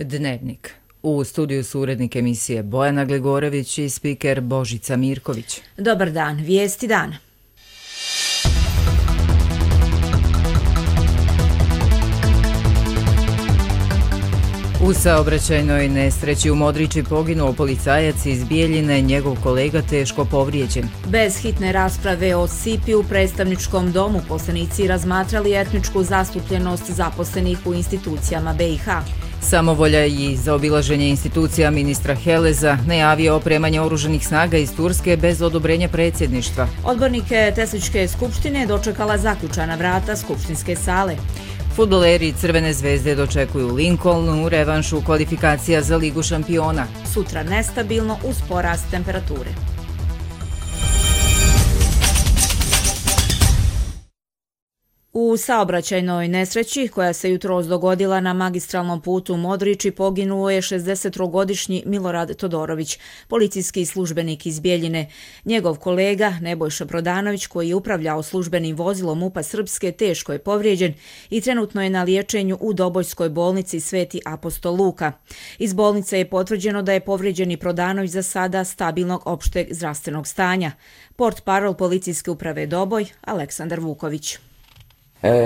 Dnevnik. U studiju su urednik emisije Bojana Gligorović i spiker Božica Mirković. Dobar dan, vijesti dana. U saobraćajnoj nesreći u Modriči poginuo policajac iz Bijeljine, njegov kolega teško povrijeđen. Bez hitne rasprave o SIP-i u predstavničkom domu poslanici razmatrali etničku zastupljenost zaposlenih u institucijama BiH. Samovolja i zaobilaženje institucija ministra Heleza, najavio opremanje oružanih snaga iz Turske bez odobrenja predsjedništva. Odbornike Tesličke skupštine dočekala zaključana vrata skupštinske sale. Fudbaleri Crvene zvezde dočekuju Lincoln u revanšu kvalifikacija za Ligu šampiona. Sutra nestabilno uz porast temperature. U saobraćajnoj nesreći koja se jutros dogodila na magistralnom putu u Modriči poginuo je 63-godišnji Milorad Todorović, policijski službenik iz Bijeljine. Njegov kolega Nebojša Prodanović, koji je upravljao službenim vozilom MUP-a Srpske, teško je povrijeđen i trenutno je na liječenju u Dobojskoj bolnici Sveti Apostol Luka. Iz bolnice je potvrđeno da je povrijeđeni Prodanović za sada stabilnog opšteg zdravstvenog stanja. Portparol policijske uprave Doboj, Aleksandar Vuković.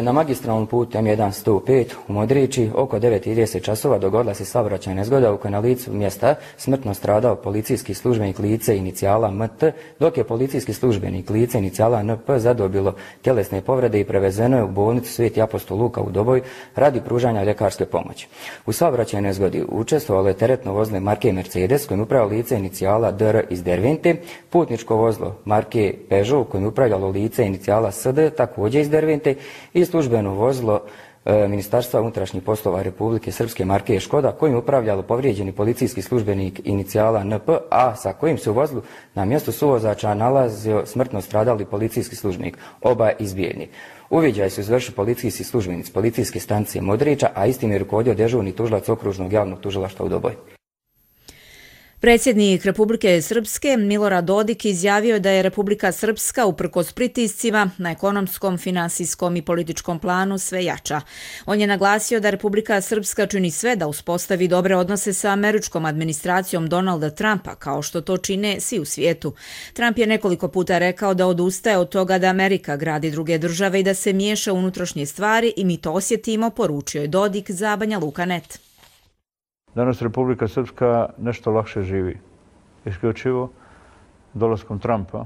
Na magistralnom putu M1-105 u Modriči oko 9:30 časova dogodila se saobraćajna nezgoda u kojoj na licu mjesta smrtno stradao policijski službenik lice inicijala MT, dok je policijski službenik lice inicijala NP zadobilo tjelesne povrede i prevezeno je u bolnicu Sveti Apostol Luka u Doboj radi pružanja ljekarske pomoći. U saobraćajnoj nezgodi učestvovalo je teretno vozilo marke Mercedes kojim upravljalo lice inicijala DR iz Dervente, putničko vozilo marke Peugeot kojim upravljalo lice inicijala SD također iz Dervente i službeno vozilo Ministarstva unutrašnjih poslova Republike Srpske marke Škoda kojim upravljalo povrijeđeni policijski službenik inicijala NP, a sa kojim se u vozilu na mjestu suvozača nalazio smrtno stradali policijski službenik, oba iz Bijeljine. Uviđaj su izvršili policijski službenici policijske stanice Modriča, a istim je rukovodio dežurni tužilac okružnog javnog tužilaštva u Doboju. Predsjednik Republike Srpske Milorad Dodik izjavio je da je Republika Srpska uprkos pritiscima na ekonomskom, finansijskom i političkom planu sve jača. On je naglasio da Republika Srpska čini sve da uspostavi dobre odnose sa američkom administracijom Donalda Trumpa, kao što to čine svi u svijetu. Trump je nekoliko puta rekao da odustaje od toga da Amerika gradi druge države i da se miješa u unutrašnje stvari i mi to osjetimo, poručio je Dodik za Banja Luka.net. Danas Republika Srpska nešto lakše živi. Isključivo dolaskom Trumpa,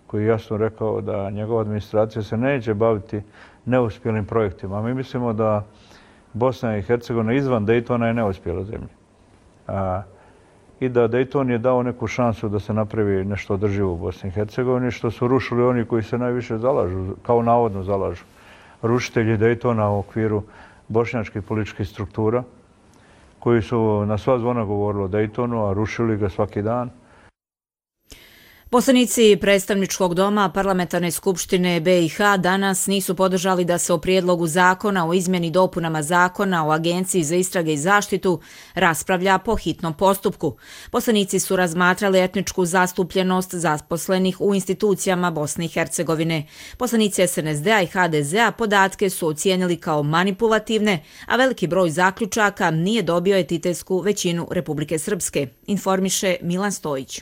koji je jasno rekao da njegova administracija se neće baviti neuspjelim projektima. Mi mislimo da Bosna i Hercegovina izvan Dejtona je neuspjela zemlja. I da Dejton je dao neku šansu da se napravi nešto održivo u Bosni i Hercegovini, što su rušili oni koji se najviše zalažu, kao navodno zalažu. Rušitelji Dejtona u okviru bošnjačkih političkih struktura, koji su na sva zvona govorili o Dejtonu, a rušili ga svaki dan. Poslanici predstavničkog doma Parlamentarne skupštine BiH danas nisu podržali da se o prijedlogu zakona o izmjeni dopunama zakona o Agenciji za istrage i zaštitu raspravlja po hitnom postupku. Poslanici su razmatrali etničku zastupljenost zaposlenih u institucijama Bosne i Hercegovine. Poslanici SNSD-a i HDZ-a podatke su ocijenili kao manipulativne, a veliki broj zaključaka nije dobio etitetsku većinu Republike Srpske, informiše Milan Stojić.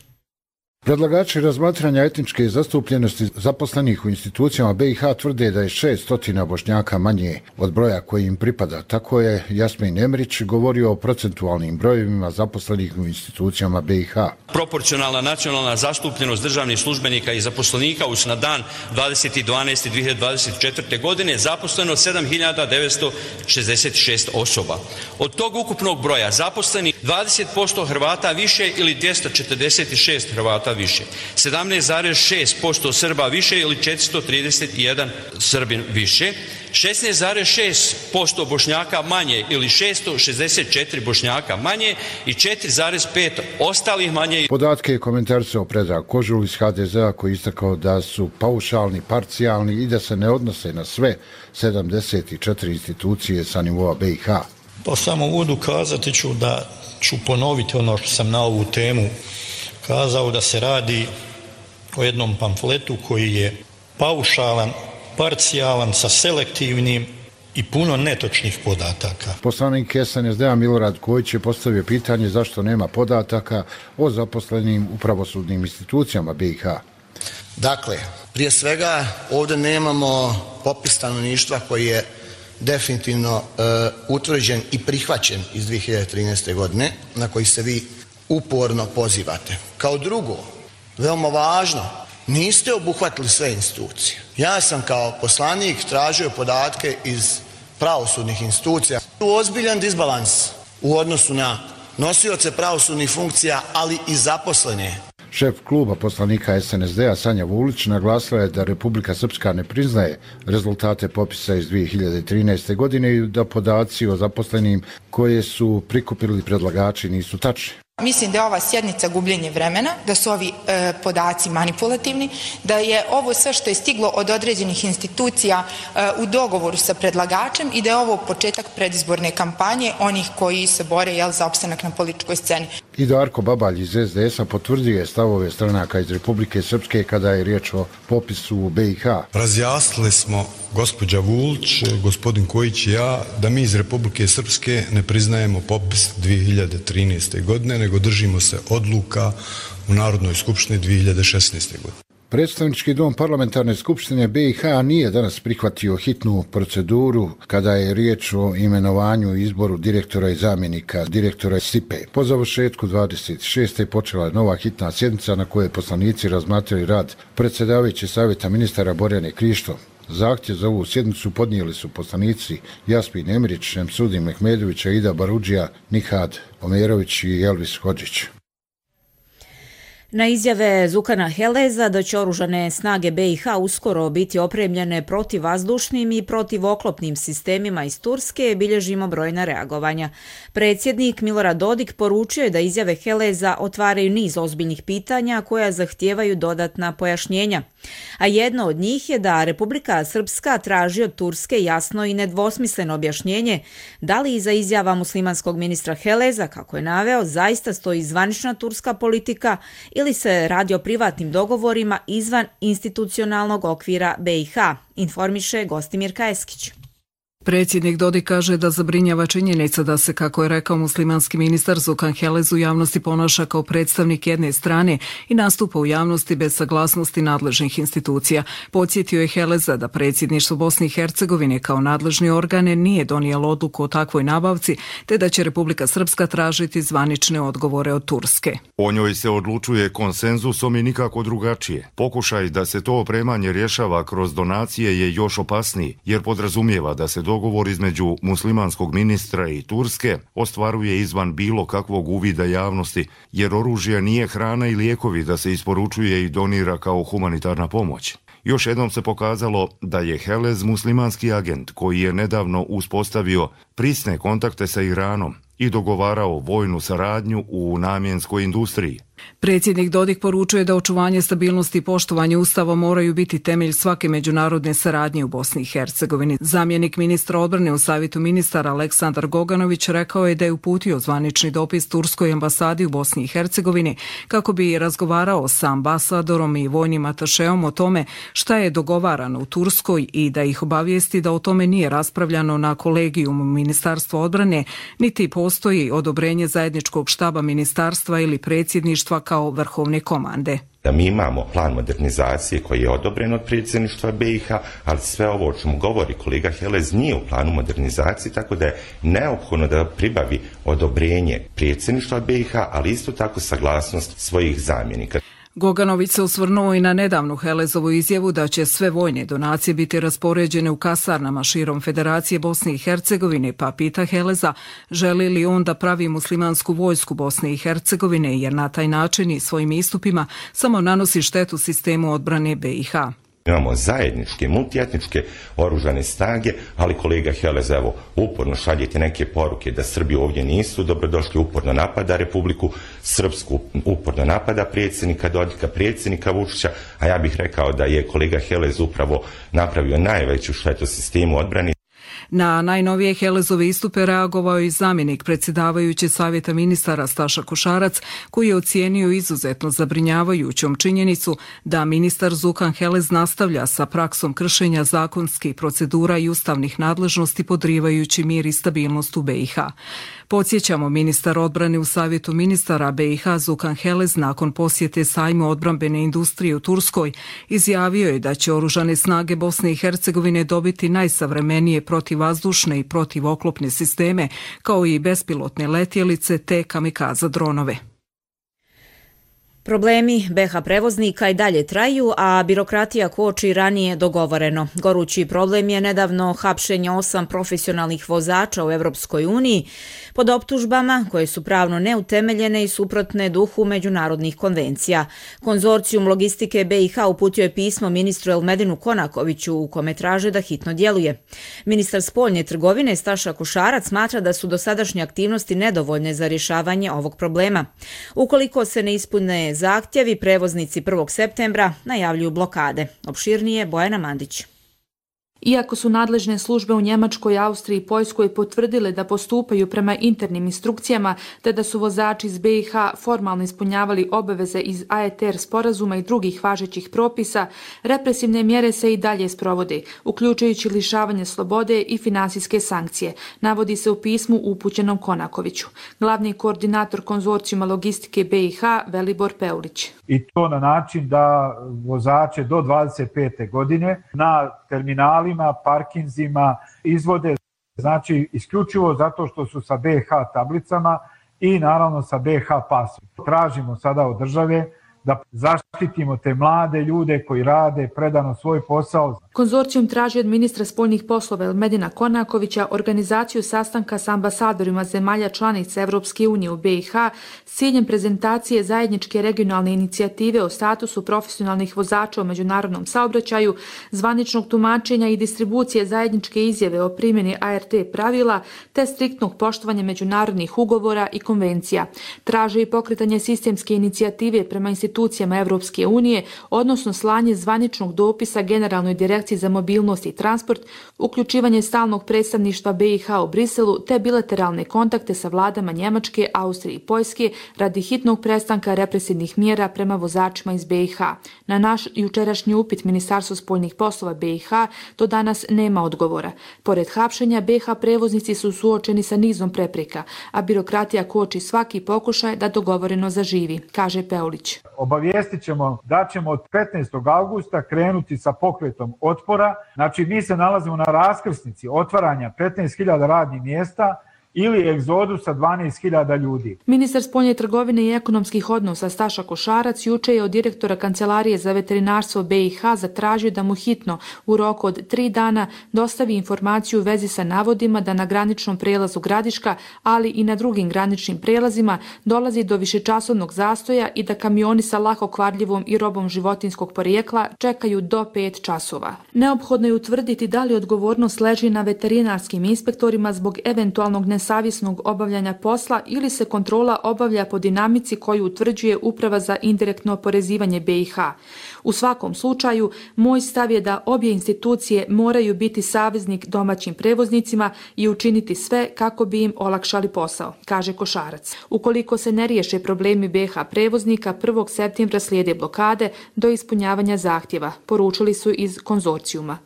Predlagači razmatranja etničke zastupljenosti zaposlenih u institucijama BiH tvrde da je 600 Bošnjaka manje od broja koji im pripada. Tako je Jasmin Emrić govorio o procentualnim brojevima zaposlenih u institucijama BiH. Proporcionalna nacionalna zastupljenost državnih službenika i zaposlenika na dan 20.12.2024. godine zaposleno 7.966 osoba. Od tog ukupnog broja zaposlenih 20% Hrvata više ili 246 Hrvata više, 17,6% Srba više ili 431 Srbin više, 16,6% Bošnjaka manje ili 664 Bošnjaka manje i 4,5 ostalih manje. Podatke je komentarisao Predrag Kožul iz HDZ-a koji je istakao da su paušalni, parcijalni i da se ne odnose na sve 74 institucije sa nivoa BiH. Po samom uvodu kazati ću da ću ponoviti ono što sam na ovu temu kazao, da se radi o jednom pamfletu koji je paušalan, parcijalan, sa selektivnim i puno netočnih podataka. Poslanik SNSD-a Milorad Kojić je postavio pitanje zašto nema podataka o zaposlenim u pravosudnim institucijama BiH. Dakle, prije svega ovdje nemamo popis stanovništva koji je definitivno utvrđen i prihvaćen iz 2013. godine, na koji se vi uporno pozivate. Kao drugo, veoma važno, niste obuhvatili sve institucije. Ja sam kao poslanik tražio podatke iz pravosudnih institucija. Ozbiljan disbalans u odnosu na nosioce pravosudnih funkcija, ali i zaposlene. Šef kluba poslanika SNSD-a Sanja Vulić naglasila je da Republika Srpska ne priznaje rezultate popisa iz 2013. godine i da podaci o zaposlenim koje su prikupili predlagači nisu tačni. Mislim da je ova sjednica gubljenje vremena, da su ovi podaci manipulativni, da je ovo sve što je stiglo od određenih institucija u dogovoru sa predlagačem i da je ovo početak predizborne kampanje onih koji se bore za opstanak na političkoj sceni. I Darko Babalj iz SDS-a potvrdio je stavove stranaka iz Republike Srpske kada je riječ o popisu u BiH. Razjasnili smo, gospođa Vulić, gospodin Kojić i ja, da mi iz Republike Srpske ne priznajemo popis 2013. godine, nego držimo se odluka u Narodnoj skupštini 2016. godine. Predstavnički dom parlamentarne skupštine BiH nije danas prihvatio hitnu proceduru kada je riječ o imenovanju i izboru direktora i zamjenika direktora SIPE. Po završetku 26. počela je nova hitna sjednica na kojoj poslanici razmatrali rad predsjedavajućeg savjeta ministara Borjane Krišto. Zahtjev za ovu sjednicu podnijeli su poslanici Jasmin Emirić, Šemsudin Mehmedović, Ida Barudžija, Nihad Omerović i Elvis Hodžić. Na izjave Zukana Heleza da će oružane snage BiH uskoro biti opremljene protivvazdušnim i protivoklopnim sistemima iz Turske, bilježimo brojna reagovanja. Predsjednik Milorad Dodik poručio je da izjave Heleza otvaraju niz ozbiljnih pitanja koja zahtijevaju dodatna pojašnjenja. A jedno od njih je da Republika Srpska traži od Turske jasno i nedvosmisleno objašnjenje da li iza izjava muslimanskog ministra Heleza, kako je naveo, zaista stoji zvanična turska politika ili se radi o privatnim dogovorima izvan institucionalnog okvira BiH, informiše Gostimir Kajeskić. Predsjednik Dodik kaže da zabrinjava činjenica da se, kako je rekao muslimanski ministar Zukan Helez, u javnosti ponaša kao predstavnik jedne strane i nastupa u javnosti bez saglasnosti nadležnih institucija. Podsjetio je Heleza da predsjedništvo Bosne i Hercegovine kao nadležni organe nije donijelo odluku o takvoj nabavci, te da će Republika Srpska tražiti zvanične odgovore od Turske. O njoj se odlučuje konsenzusom i nikako drugačije. Pokušaj da se to opremanje rješava kroz donacije je još opasniji, jer podrazumijeva da se dogovor između muslimanskog ministra i Turske ostvaruje izvan bilo kakvog uvida javnosti, jer oružje nije hrana i lijekovi da se isporučuje i donira kao humanitarna pomoć. Još jednom se pokazalo da je Helez muslimanski agent koji je nedavno uspostavio prisne kontakte sa Iranom i dogovarao vojnu saradnju u namjenskoj industriji. Predsjednik Dodik poručuje da očuvanje stabilnosti i poštovanje Ustava moraju biti temelj svake međunarodne saradnje u Bosni i Hercegovini. Zamjenik ministra odbrane u Savjetu ministara Aleksandar Goganović rekao je da je uputio zvanični dopis Turskoj ambasadi u Bosni i Hercegovini kako bi razgovarao sa ambasadorom i vojnim atašeom o tome šta je dogovarano u Turskoj i da ih obavijesti da o tome nije raspravljano na kolegijumu Ministarstva odbrane, niti postoji odobrenje zajedničkog štaba ministarstva ili predsjedništva kao vrhovne komande. Da mi imamo plan modernizacije koji je odobren od predsjedništva BiH, ali sve ovo o čemu govori kolega Helez nije u planu modernizacije, tako da je neophodno da pribavi odobrenje predsjedništva BiH, ali isto tako saglasnost svojih zamjenika. Goganović se osvrnuo i na nedavnu Helezovu izjavu da će sve vojne donacije biti raspoređene u kasarnama širom Federacije Bosne i Hercegovine, pa pita Heleza želi li on da pravi muslimansku vojsku Bosne i Hercegovine, jer na taj način i svojim istupima samo nanosi štetu sistemu odbrane BiH. Imamo zajedničke, multietničke oružane snage, ali kolega Helez, evo, uporno šaljete neke poruke da Srbi ovdje nisu dobrodošli, uporno napada Republiku Srpsku, uporno napada predsjednika Dodika, predsjednika Vučića, a ja bih rekao da je kolega Helez upravo napravio najveću štetu sistemu odbrane. Na najnovije Helezove istupe reagovao i zamjenik predsjedavajuće savjeta ministara Staša Košarac, koji je ocijenio izuzetno zabrinjavajućom činjenicu da ministar Zukan Helez nastavlja sa praksom kršenja zakonskih procedura i ustavnih nadležnosti podrivajući mir i stabilnost u BiH. Podsjećamo, ministar odbrane u savjetu ministara BiH Zukan Helez nakon posjete sajmu odbrambene industrije u Turskoj izjavio je da će oružane snage Bosne i Hercegovine dobiti najsavremenije protivvazdušne i protivoklopne sisteme, kao i bespilotne letjelice te kamikaza dronove. Problemi BiH prevoznika i dalje traju, a birokratija koči ranije dogovoreno. Gorući problem je nedavno hapšenje 8 profesionalnih vozača u Europskoj uniji pod optužbama koje su pravno neutemeljene i suprotne duhu međunarodnih konvencija. Konzorcijum logistike BiH uputio je pismo ministru Elmedinu Konakoviću u kome traže da hitno djeluje. Ministar spoljne trgovine Staša Košarac smatra da su dosadašnje aktivnosti nedovoljne za rješavanje ovog problema. Ukoliko se ne ispune zahtjevi, prevoznici 1. septembra najavljuju blokade. Opširnije Bojana Mandić. Iako su nadležne službe u Njemačkoj, Austriji i Poljskoj potvrdile da postupaju prema internim instrukcijama te da su vozači iz BiH formalno ispunjavali obaveze iz AETR sporazuma i drugih važećih propisa, represivne mjere se i dalje sprovode, uključujući lišavanje slobode i finansijske sankcije, navodi se u pismu upućenom Konakoviću. Glavni koordinator konzorcijuma logistike BiH Velibor Peulić. I to na način da vozače do 25. godine na terminalima, parkinzima izvode, znači isključivo zato što su sa BiH tablicama i naravno sa BiH pasom. Tražimo sada od države da zaštitimo te mlade ljude koji rade predano svoj posao. Konzorcijum traži od ministra spoljnih poslova Elmedina Konakovića organizaciju sastanka sa ambasadorima zemalja članica Evropske unije u BiH s ciljem prezentacije zajedničke regionalne inicijative o statusu profesionalnih vozača u međunarodnom saobraćaju, zvaničnog tumačenja i distribucije zajedničke izjave o primjeni ART pravila te striktnog poštovanja međunarodnih ugovora i konvencija. Traže i pokretanje sistemske inicijative prema institucijama Evropske unije, odnosno slanje zvaničnog dopisa Generalnoj direkciji za mobilnost i transport, uključivanje stalnog predstavništva BiH u Briselu te bilateralne kontakte sa vladama Njemačke, Austrije i Poljske radi hitnog prestanka represivnih mjera prema vozačima iz BiH. Na naš jučerašnji upit Ministarstva spoljnih poslova BiH do danas nema odgovora. Pored hapšenja, BiH prevoznici su suočeni sa nizom prepreka, a birokratija koči svaki pokušaj da dogovoreno zaživi, kaže Peulić. Obavijestit ćemo da ćemo od 15. augusta krenuti sa pokretom otpora. Znači, mi se nalazimo na raskrsnici otvaranja 15.000 radnih mjesta ili egzodusa 12.000 ljudi. Ministar spoljne trgovine i ekonomskih odnosa Staša Košarac juče je od direktora Kancelarije za veterinarstvo BiH zatražio da mu hitno u roku od 3 dana dostavi informaciju u vezi sa navodima da na graničnom prelazu Gradiška, ali i na drugim graničnim prelazima dolazi do višečasovnog zastoja i da kamioni sa lako kvarljivom i robom životinskog porijekla čekaju do 5 časova. Neophodno je utvrditi da li odgovornost leži na veterinarskim inspektorima zbog eventualnog nesavjesnog obavljanja posla ili se kontrola obavlja po dinamici koju utvrđuje Uprava za indirektno oporezivanje BiH. U svakom slučaju, moj stav je da obje institucije moraju biti saveznik domaćim prevoznicima i učiniti sve kako bi im olakšali posao, kaže Košarac. Ukoliko se ne riješe problemi BiH prevoznika, 1. septembra slijede blokade do ispunjavanja zahtjeva, poručili su iz konzorcijuma.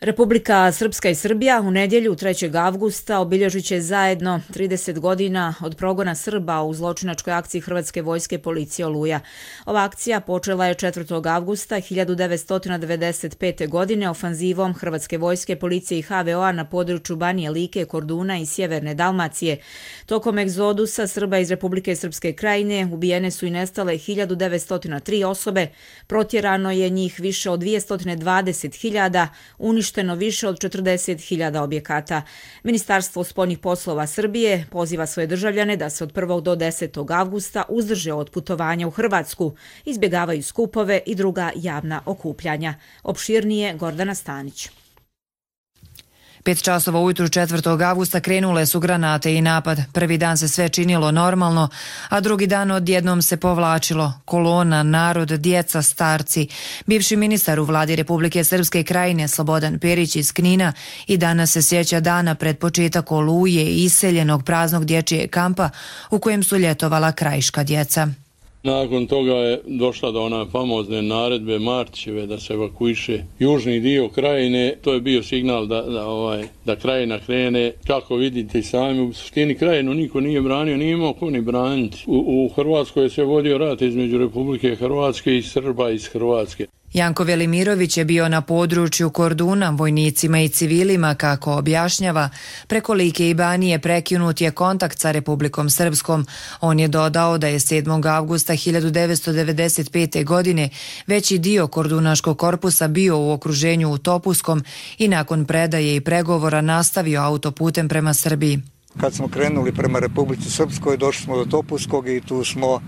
Republika Srpska i Srbija u nedjelju 3. avgusta obilježit će zajedno 30 godina od progona Srba u zločinačkoj akciji Hrvatske vojske policije Oluja. Ova akcija počela je 4. avgusta 1995. godine ofanzivom Hrvatske vojske policije i HVO-a na području Banije Like, Korduna i Sjeverne Dalmacije. Tokom egzodusa Srba iz Republike Srpske krajine ubijene su i nestale 1903 osobe, protjerano je njih više od 220.000, uništeno više od 40.000 objekata. Ministarstvo spoljnih poslova Srbije poziva svoje državljane da se od 1. do 10. avgusta uzdrže od putovanja u Hrvatsku, izbjegavaju skupove i druga javna okupljanja. Opširnije Gordana Stanić. 5 časova ujutru 4. avgusta krenule su granate i napad. Prvi dan se sve činilo normalno, a drugi dan odjednom se povlačilo. Kolona, narod, djeca, starci. Bivši ministar u vladi Republike Srpske Krajine Slobodan Perić iz Knina i danas se sjeća dana pred početak Oluje i iseljenog praznog dječjeg kampa u kojem su ljetovala krajiška djeca. Nakon toga je došla do one famozne naredbe Martićeve da se evakuiše južni dio Krajine. To je bio signal da Krajina krene. Kako vidite i sami, u suštini Krajinu niko nije branio, nije imao ko ni braniti. U Hrvatskoj se vodio rat između Republike Hrvatske i Srba iz Hrvatske. Janko Velimirović je bio na području Korduna, vojnicima i civilima, kako objašnjava. Preko Like i Banije prekinut je kontakt sa Republikom Srpskom. On je dodao da je 7. avgusta 1995. godine veći dio Kordunaškog korpusa bio u okruženju u Topuskom i nakon predaje i pregovora nastavio autoputem prema Srbiji. Kad smo krenuli prema Republici Srpskoj, došli smo do Topuskog i tu smo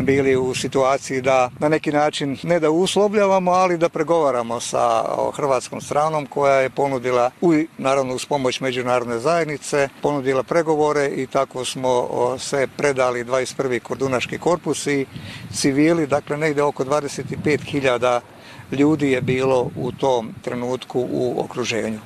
bili u situaciji da na neki način ne da uslovljavamo, ali da pregovaramo sa hrvatskom stranom koja je ponudila, naravno uz pomoć međunarodne zajednice, ponudila pregovore i tako smo se predali 21. Kordunaški korpus i civili, dakle negdje oko 25.000 ljudi je bilo u tom trenutku u okruženju.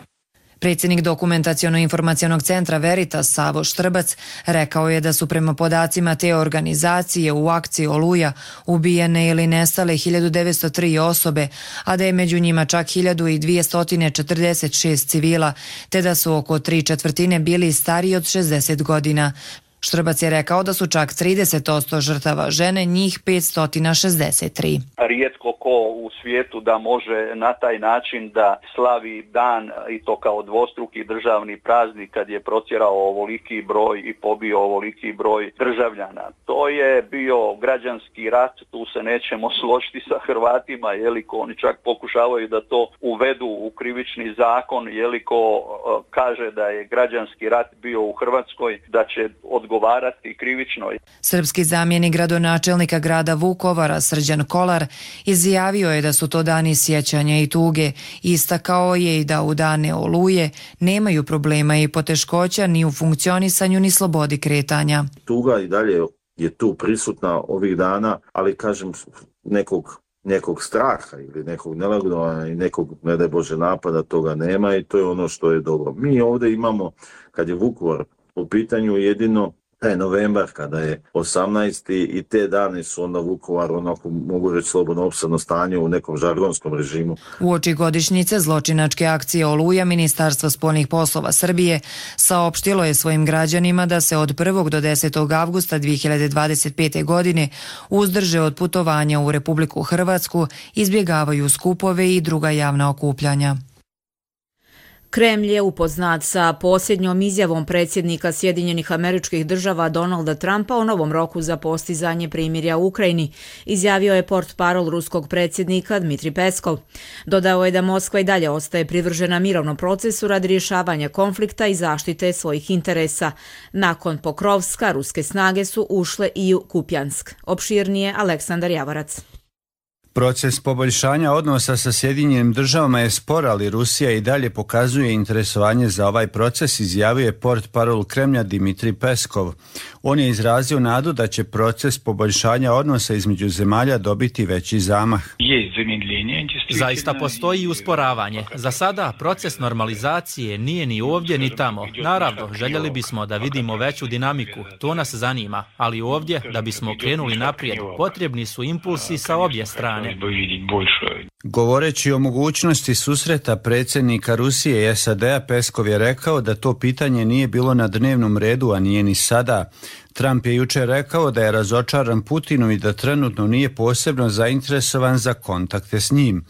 Predsjednik Dokumentaciono-informacionog centra Veritas Savo Štrbac rekao je da su prema podacima te organizacije u akciji Oluja ubijene ili nestale 1903 osobe, a da je među njima čak 1246 civila, te da su oko 3/4 bili stariji od 60 godina. Štrbac je rekao da su čak 30% žrtava žene, njih 563. Rijetko ko u svijetu da može na taj način da slavi dan i to kao dvostruki državni praznik kad je protjerao ovoliki broj i pobio ovoliki broj državljana. To je bio građanski rat, tu se nećemo složiti sa Hrvatima, jeliko oni čak pokušavaju da to uvedu u krivični zakon, jeliko kaže da je građanski rat bio u Hrvatskoj, da će odgovarati krivično. Srpski zamjenik gradonačelnika grada Vukovara Srđan Kolar izjavio je da su to dani sjećanja i tuge. Istakao je i da u dane Oluje nemaju problema i poteškoća ni u funkcionisanju ni slobodi kretanja. Tuga i dalje je tu prisutna ovih dana, ali kažem nekog straha ili nekog nelagodovanja i nekog, ne daj Bože, napada, toga nema i to je ono što je dobro. Mi ovdje imamo, kad je Vukovar u pitanju, jedino taj novembar kada je 18. i te dane su onda Vukovar, onako mogu reći slobodno, opsadno stanje u nekom žargonskom režimu. Uoči godišnjice zločinačke akcije Oluja, Ministarstvo spoljnih poslova Srbije saopštilo je svojim građanima da se od 1. do 10. avgusta 2025. godine uzdrže od putovanja u Republiku Hrvatsku, izbjegavaju skupove i druga javna okupljanja. Kremlj je upoznat sa posljednjom izjavom predsjednika Sjedinjenih Američkih Država Donalda Trumpa o novom roku za postizanje primirja u Ukrajini, izjavio je portparol ruskog predsjednika Dmitrij Peskov. Dodao je da Moskva i dalje ostaje privržena mirovnom procesu radi rješavanja konflikta i zaštite svojih interesa. Nakon Pokrovska, ruske snage su ušle i u Kupjansk. Opširnije Aleksandar Javarac. Proces poboljšanja odnosa sa Sjedinjenim Državama je spor, ali Rusija i dalje pokazuje interesovanje za ovaj proces, izjavio je portparol Kremlja Dmitrij Peskov. On je izrazio nadu da će proces poboljšanja odnosa između zemalja dobiti veći zamah. Zaista postoji i usporavanje. Za sada proces normalizacije nije ni ovdje ni tamo. Naravno, željeli bismo da vidimo veću dinamiku, to nas zanima, ali ovdje, da bismo krenuli naprijed, potrebni su impulsi sa obje strane. Govoreći o mogućnosti susreta predsjednika Rusije i SAD-a, Peskov je rekao da to pitanje nije bilo na dnevnom redu, a nije ni sada. Trump je jučer rekao da je razočaran Putinu i da trenutno nije posebno zainteresovan za kontakte s njim.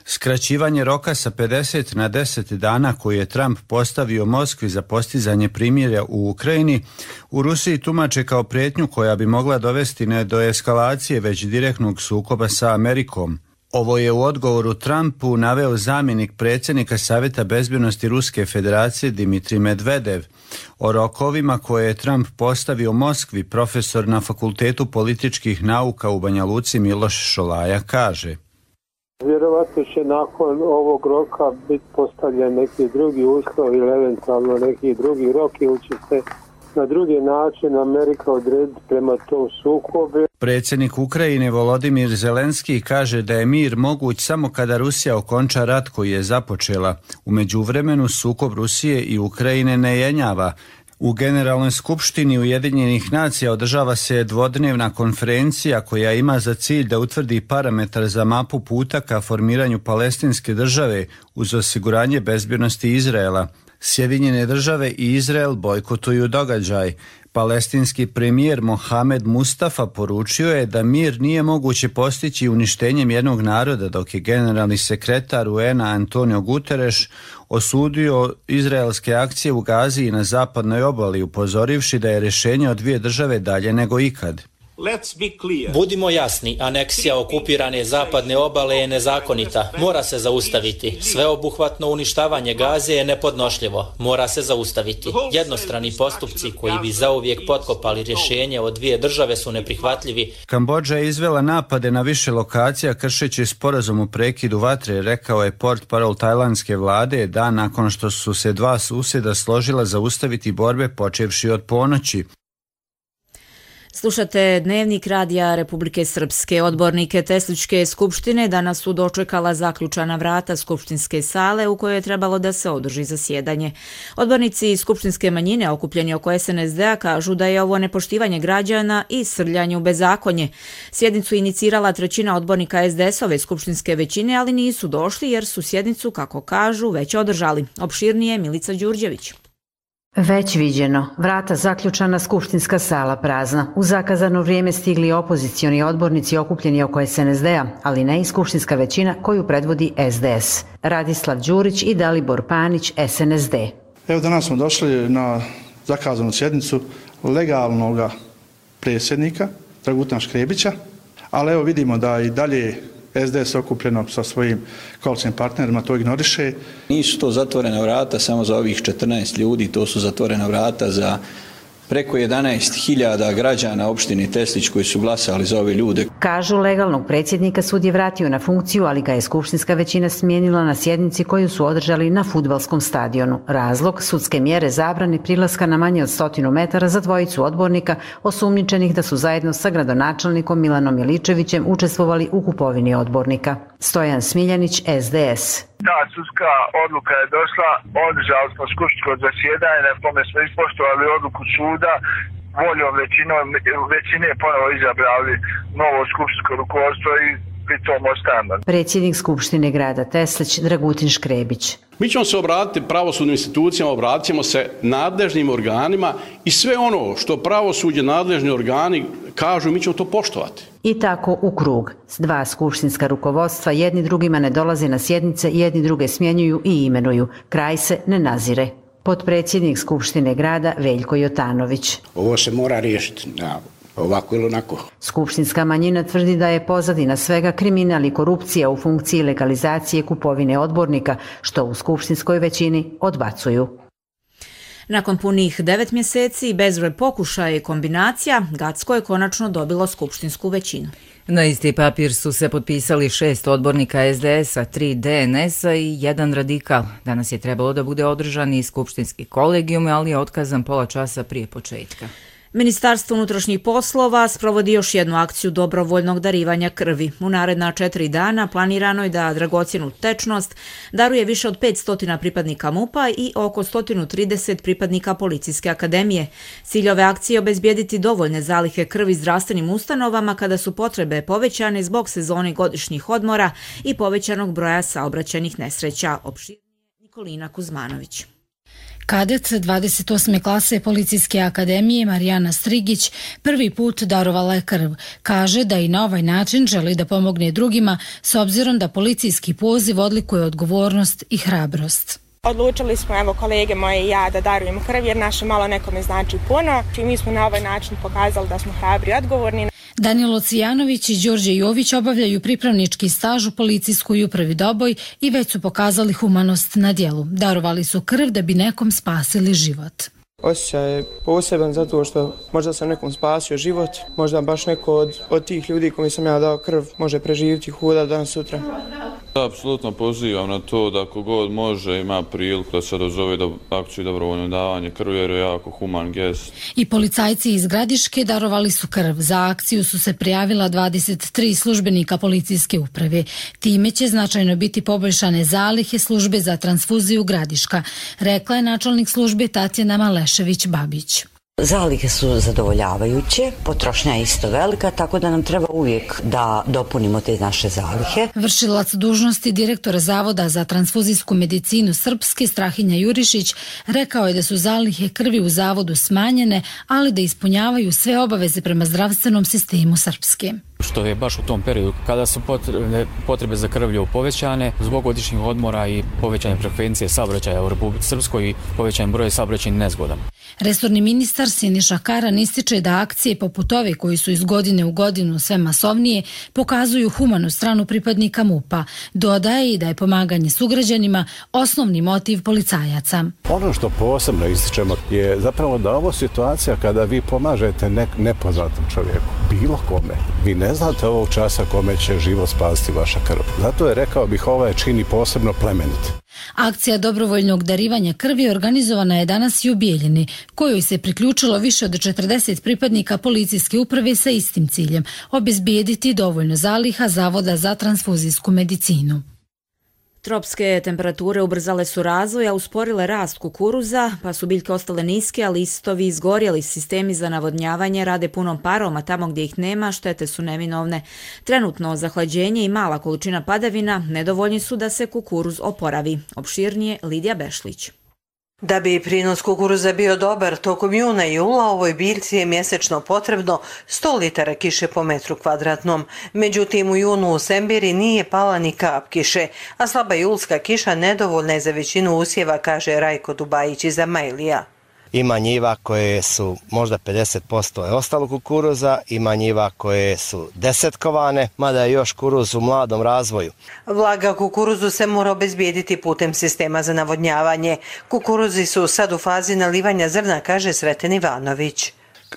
Skraćivanje roka sa 50 na 10 dana koji je Trump postavio Moskvi za postizanje primirja u Ukrajini u Rusiji tumače kao prijetnju koja bi mogla dovesti ne do eskalacije, već direktnog sukoba sa Amerikom. Ovo je u odgovoru Trumpu naveo zamjenik predsjednika Savjeta bezbjednosti Ruske federacije Dmitrij Medvedev. O rokovima koje je Trump postavio Moskvi, profesor na Fakultetu političkih nauka u Banja Luci Miloš Šolaja kaže: Vjerovatno će nakon ovog roka biti postavljen neki drugi uslov ili eventualno neki drugi rok ili će se na drugi način Amerika odrediti prema tom sukobu. Predsjednik Ukrajine Volodimir Zelenski kaže da je mir moguć samo kada Rusija okonča rat koji je započela. U međuvremenu sukob Rusije i Ukrajine ne jenjava. U Generalnoj skupštini Ujedinjenih nacija održava se dvodnevna konferencija koja ima za cilj da utvrdi parametar za mapu puta ka formiranju palestinske države uz osiguranje bezbjednosti Izraela. Sjedinjene države i Izrael bojkotuju događaj. Palestinski premijer Mohamed Mustafa poručio je da mir nije moguće postići uništenjem jednog naroda, dok je generalni sekretar UN-a Antonio Guterres osudio izraelske akcije u Gazi i na zapadnoj obali, upozorivši da je rješenje od dvije države dalje nego ikad. Budimo jasni, aneksija okupirane zapadne obale je nezakonita. Mora se zaustaviti. Sveobuhvatno uništavanje Gaze je nepodnošljivo. Mora se zaustaviti. Jednostrani postupci koji bi zauvijek potkopali rješenje od dvije države su neprihvatljivi. Kambodža je izvela napade na više lokacija kršeći sporazum o prekidu vatre, rekao je portparol tajlandske vlade dan nakon što su se dva susjeda složila zaustaviti borbe počevši od ponoći. Slušate Dnevnik radija Republike Srpske. Odbornike Tesličke skupštine danas su dočekala zaključana vrata skupštinske sale u kojoj je trebalo da se održi zasjedanje. Odbornici skupštinske manjine okupljeni oko SNSD-a kažu da je ovo nepoštivanje građana i srljanje u bezakonje. Sjednicu inicirala trećina odbornika SDS-ove skupštinske većine, ali nisu došli jer su sjednicu, kako kažu, već održali. Opširnije Milica Đurđević. Već viđeno, vrata zaključana, skupštinska sala prazna. U zakazano vrijeme stigli opozicioni odbornici okupljeni oko SNSD-a, ali ne i skupštinska većina koju predvodi SDS. Radislav Đurić i Dalibor Panić, SNSD. Evo danas smo došli na zakazanu sjednicu legalnog predsjednika Dragutina Škrebića, ali evo vidimo da i dalje SDS okupljeno sa svojim koalicijskim partnerima to ignoriše. Nisu to zatvorena vrata samo za ovih 14 ljudi, to su zatvorena vrata za preko 11.000 građana opštine Teslić koji su glasali za ove ljude. Kažu, legalnog predsjednika sud je vratio na funkciju, ali ga je skupštinska većina smijenila na sjednici koju su održali na fudbalskom stadionu. Razlog, sudske mjere zabrane prilaska na manje od 100 metara za dvojicu odbornika osumnjičenih da su zajedno sa gradonačelnikom Milanom Miličevićem učestvovali u kupovini odbornika. Stojan Smiljanić, SDS. Ta sudska odluka je došla, održali smo skupštinsko zasjedanje na kome smo ispoštovali odluku suda, voljom većine ponovo izabrali novo skupštinsko rukovodstvo i pri tom ostajemo. Predsjednik Skupštine grada Teslić Dragutin Škrebić. Mi ćemo se obratiti pravosudnim institucijama, obratit ćemo se nadležnim organima i sve ono što pravosuđe, nadležni organi kažu, mi ćemo to poštovati. I tako u krug. Dva skupštinska rukovodstva jedni drugima ne dolaze na sjednice, jedni druge smjenjuju i imenuju. Kraj se ne nazire. Potpredsjednik Skupštine grada Veljko Jotanović. Ovo se mora riješiti ovako ili onako. Skupštinska manjina tvrdi da je pozadina svega kriminal i korupcija u funkciji legalizacije kupovine odbornika, što u skupštinskoj većini odbacuju. Nakon punih 9 mjeseci i bezbroj pokušaja i kombinacija, Gacko je konačno dobilo skupštinsku većinu. Na isti papir su se potpisali 6 odbornika SDS-a, 3 DNS-a i 1 radikal. Danas je trebalo da bude održan i skupštinski kolegijum, ali je otkazan pola časa prije početka. Ministarstvo unutrašnjih poslova sprovodi još jednu akciju dobrovoljnog darivanja krvi. U naredna 4 dana planirano je da dragocjenu tečnost daruje više od 500 pripadnika MUP-a i oko 130 pripadnika Policijske akademije. Cilj ove akcije je obezbijediti dovoljne zalihe krvi zdravstvenim ustanovama kada su potrebe povećane zbog sezone godišnjih odmora i povećanog broja saobraćajnih nesreća. Opširnije Nikolina Kuzmanović. Kadet 28. klase Policijske akademije Marijana Strigić prvi put darovala je krv. Kaže da i na ovaj način želi da pomogne drugima s obzirom da policijski poziv odlikuje odgovornost i hrabrost. Odlučili smo, evo, kolege moje i ja da darujemo krv jer naše malo nekome znači puno i mi smo na ovaj način pokazali da smo hrabri i odgovorni. Danilo Cijanović i Đorđe Jović obavljaju pripravnički staž u policijskoj upravi Doboj i već su pokazali humanost na djelu. Darovali su krv da bi nekom spasili život. Osjećaj je poseban zato što možda sam nekom spasio život, možda baš neko od tih ljudi koji sam ja dao krv može preživjeti, hoda danas sutra. Apsolutno pozivam na to da kogod može ima priliku da se odazove akciju dobrovoljno davanje krvi jer je jako human gest. I policajci iz Gradiške darovali su krv. Za akciju su se prijavila 23 službenika policijske uprave. Time će značajno biti poboljšane zalihe službe za transfuziju Gradiška, rekla je načelnik službe Tatjana Malešević-Babić. Zalihe su zadovoljavajuće, potrošnja je isto velika, tako da nam treba uvijek da dopunimo te naše zalihe. Vršilac dužnosti direktora Zavoda za transfuzijsku medicinu Srpske Strahinja Jurišić rekao je da su zalihe krvi u zavodu smanjene, ali da ispunjavaju sve obaveze prema zdravstvenom sistemu Srpske. Što je baš u tom periodu kada su potrebe za krvlju povećane zbog godišnjih odmora i povećane frekvencije saobraćaja u Republici Srpskoj i povećan broj saobraćajnih nezgoda. Resorni ministar Siniša Karan ističe da akcije poput ove koji su iz godine u godinu sve masovnije pokazuju humanu stranu pripadnika MUP-a. Dodaje i da je pomaganje sugrađanima osnovni motiv policajaca. Ono što posebno ističemo je zapravo da ovo situacija kada vi pomažete nepoznatom čovjeku, bilo kome, vi ne znate ovog časa kome će život spasiti vaša krv. Zato je, rekao bih, ovaj čini posebno plemenit. Akcija dobrovoljnog darivanja krvi organizovana je danas i u Bijeljini, kojoj se priključilo više od 40 pripadnika policijske uprave sa istim ciljem – obezbijediti dovoljno zaliha Zavoda za transfuzijsku medicinu. Tropske temperature ubrzale su razvoj, a usporile rast kukuruza, pa su biljke ostale niske, a listovi izgorjeli. Sistemi za navodnjavanje rade punom parom, a tamo gdje ih nema, štete su neminovne. Trenutno zahlađenje i mala količina padavina nedovoljni su da se kukuruz oporavi. Opširnije Lidija Bešlić. Da bi prinos kukuruza bio dobar, tokom juna i jula ovoj biljci je mjesečno potrebno 100 litara kiše po metru kvadratnom. Međutim, u junu u Sembiri nije pala ni kap kiše, a slaba julska kiša nedovoljna je za većinu usjeva, kaže Rajko Dubajić iz Amajlija. Ima njiva koje su možda 50% je ostalo kukuruza, ima njiva koje su desetkovane, mada je još kukuruz u mladom razvoju. Vlaga kukuruzu se mora obezbijediti putem sistema za navodnjavanje. Kukuruzi su sad u fazi nalivanja zrna, kaže Sreten Ivanović.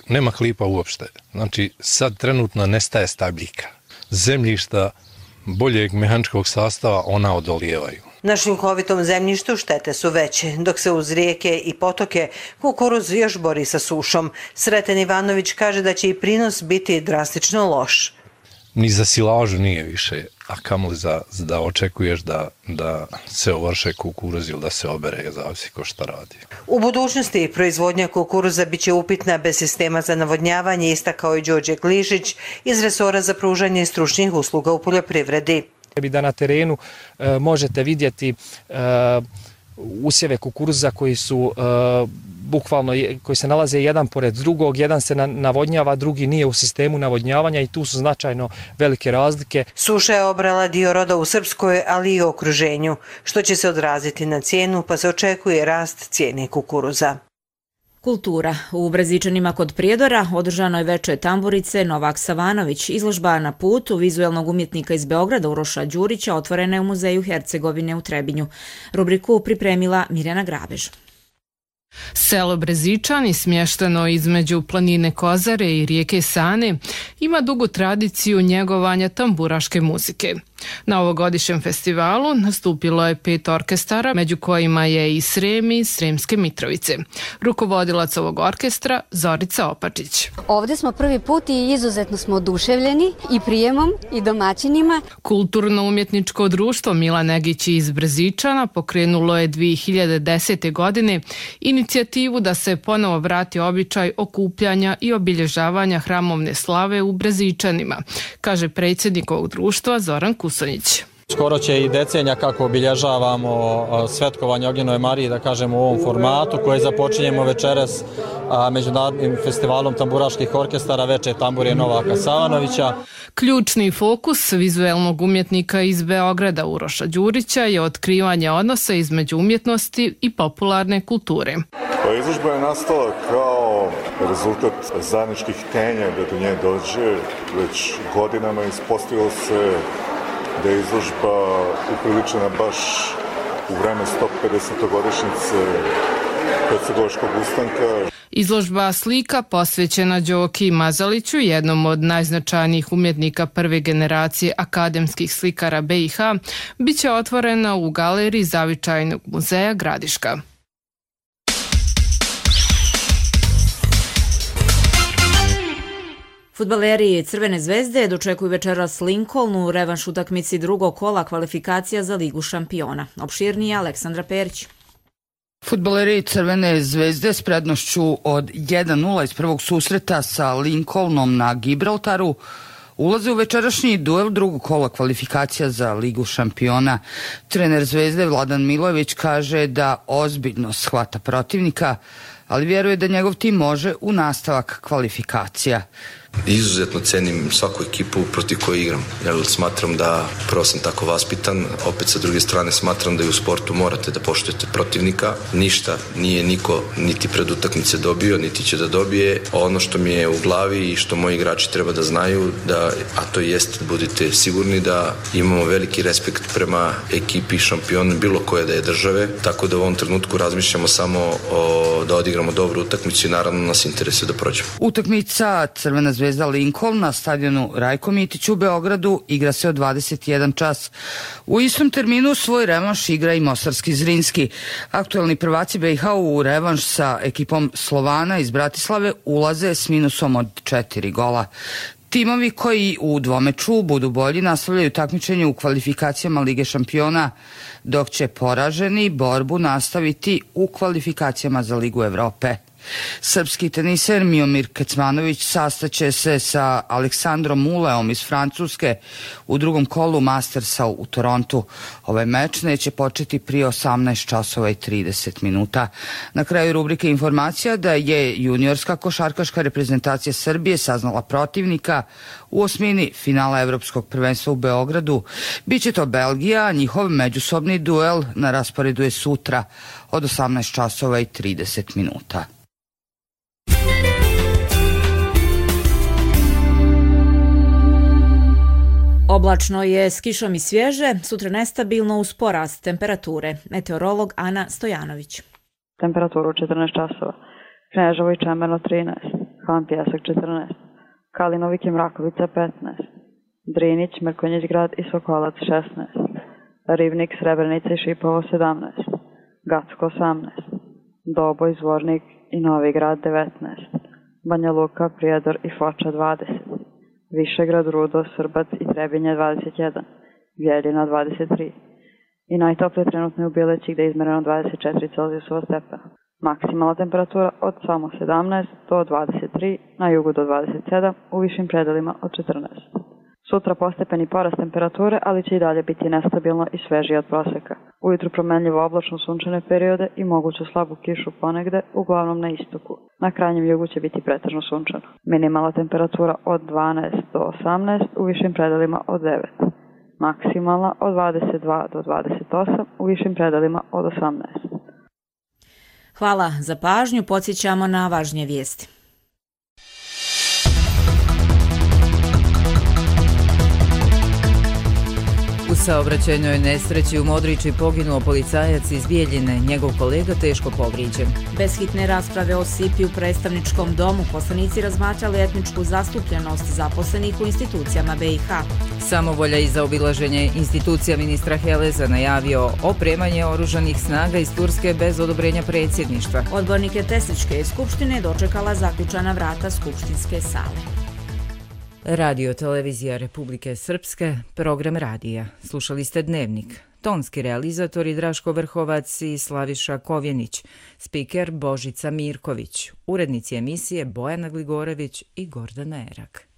Nema klipa uopšte, znači sad trenutno nestaje stabljika. Zemljišta boljeg mehaničkog sastava ona odolijevaju. Na šljunkovitom zemljištu štete su veće, dok se uz rijeke i potoke kukuruz još bori sa sušom. Sreten Ivanović kaže da će i prinos biti drastično loš. Ni za silažu nije više, a kamoli da očekuješ da se ovrše kukuruz ili da se obere, zavisi ko šta radi. U budućnosti proizvodnja kukuruza biće upitna bez sistema za navodnjavanje, istakao je Đorđe Glišić iz resora za pružanje stručnih usluga u poljoprivredi. Da na terenu možete vidjeti usjeve kukuruza koji su bukvalno, koji se nalaze jedan pored drugog, jedan se navodnjava, drugi nije u sistemu navodnjavanja i tu su značajno velike razlike. Suša je obrala dio roda u Srpskoj, ali i okruženju, što će se odraziti na cijenu, pa se očekuje rast cijene kukuruza. Kultura. U Brezičanima kod Prijedora održano je veče tamburice Novak Savanović. Izložba Na putu vizuelnog umjetnika iz Beograda Uroša Đurića otvorena je u Muzeju Hercegovine u Trebinju. Rubriku pripremila Mirjana Grabež. Selo Brezičani, smješteno između planine Kozare i rijeke Sane, ima dugu tradiciju njegovanja tamburaške muzike. Na ovogodišnjem festivalu nastupilo je 5 orkestara, među kojima je i Srem i Sremske Mitrovice. Rukovodilac ovog orkestra Zorica Opačić. Ovdje smo prvi put i izuzetno smo oduševljeni i prijemom i domaćinima. Kulturno-umjetničko društvo Milan Negić iz Brezičana pokrenulo je 2010. godine inicijativu da se ponovo vrati običaj okupljanja i obilježavanja hramovne slave u Brezičanima, kaže predsjednik ovog društva Zoran Kusonjić. Skoro će i decenija kako obilježavamo svetkovanje Ognjenove Marije, da kažemo u ovom formatu koje započinjemo večeras Međunarodnim festivalom tamburaških orkestara Veče tamburije Novaka Savanovića. Ključni fokus vizuelnog umjetnika iz Beograda Uroša Đurića je otkrivanje odnosa između umjetnosti i popularne kulture. Izložba je nastala kao rezultat zajedničkih htenja da do nje dođe. Već godinama ispostavilo se da je izložba upriličena baš u vreme 150-godišnjice Hercegovačkog ustanka. Izložba slika posvećena Đoki Mazaliću, jednom od najznačajnijih umjetnika prve generacije akademskih slikara BiH, bit će otvorena u galeriji Zavičajnog muzeja Gradiška. Fudbaleri Crvene zvezde dočekuju večeras Lincoln u revanš utakmici drugog kola kvalifikacija za Ligu šampiona. Opširnije Aleksandra Perić. Fudbaleri Crvene zvezde s prednošću od 1-0 iz prvog susreta sa Lincolnom na Gibraltaru ulaze u večerašnji duel drugog kola kvalifikacija za Ligu šampiona. Trener Zvezde Vladan Milojević kaže da ozbiljno shvata protivnika, ali vjeruje da njegov tim može u nastavak kvalifikacija. Izuzetno cenim svaku ekipu protiv koje igram, jer smatram da prvo sam tako vaspitan, opet sa druge strane smatram da i u sportu morate da poštujete protivnika. Ništa nije niko niti pred utakmice dobio, niti će da dobije. Ono što mi je u glavi i što moji igrači treba da znaju, a to jest, budite sigurni da imamo veliki respekt prema ekipi šampiona bilo koje da je države, tako da u ovom trenutku razmišljamo samo da odigramo dobru utakmicu i naravno nas interesuje da prođemo. Utakmica Crvena zvezda Lincoln na stadionu Rajko Mitić u Beogradu igra se od 21 čas. U istom terminu svoj revanš igra i Mostarski Zrinski. Aktuelni prvaci BiH u revanš sa ekipom Slovana iz Bratislave ulaze s minusom od 4 gola. Timovi koji u dvomeču budu bolji nastavljaju takmičenje u kvalifikacijama Lige šampiona, dok će poraženi borbu nastaviti u kvalifikacijama za Ligu Evrope. Srpski teniser Miomir Kecmanović sastaće se sa Aleksandrom Muleom iz Francuske u drugom kolu Mastersa u Torontu. Ovaj meč neće početi prije 18 časova i 30 minuta. Na kraju rubrike informacija da je juniorska košarkaška reprezentacija Srbije saznala protivnika u osmini finala Evropskog prvenstva u Beogradu. Biće to Belgija, a njihov međusobni duel na rasporedu je sutra od 18 časova i 30 minuta. Oblačno je s kišom i svježe, sutra nestabilno uz porast temperature. Meteorolog Ana Stojanović. Temperaturu 14 časova. Kneževo i Čemerno 13, Han Pjesak 14, Kalinovik i Mrakovica 15, Drinić, Mrkonjić grad i Sokolac 16, Rivnik, Srebrenica i Šipovo 17, Gacko 18, Doboj, Zvornik i Novi grad 19, Banja Luka, Prijedor i Foča 20, Višegrad, Rudo, Srbac i Trebinje 21, Vjeljina 23 i najtoplije trenutno je u Bileći gdje je izmereno 24 Celzijusova stepena. Maksimalna temperatura od samo 17 do 23, na jugu do 27, u višim predelima od 14. Sutra postepeni porast temperature, ali će i dalje biti nestabilno i svežije od proseka. Ujutru promenljivo oblačno sunčane periode i moguću slabu kišu ponegde, uglavnom na istoku. Na krajnjem jugu će biti pretežno sunčano. Minimalna temperatura od 12 do 18, u višim predelima od 9. Maksimalna od 22 do 28, u višim predelima od 18. Hvala za pažnju, podsjećamo na važnije vijesti. U saobraćajnoj nesreći u Modriči poginuo policajac iz Bijeljine, njegov kolega teško povrijeđen. Bez hitne rasprave o SIPI u predstavničkom domu poslanici razmatrali etničku zastupljenost zaposlenih u institucijama BiH. Samovolja i zaobilaženje institucija ministra Heleza najavio opremanje oružanih snaga iz Turske bez odobrenja predsjedništva. Odbornike Tesličke skupštine dočekala zaključana vrata skupštinske sale. Radio Televizija Republike Srpske, program radija. Slušali ste Dnevnik. Tonski realizatori Draško Vrhovac i Slaviša Kovjenić. Spiker Božica Mirković. Urednici emisije Bojana Gligorević i Gordana Erak.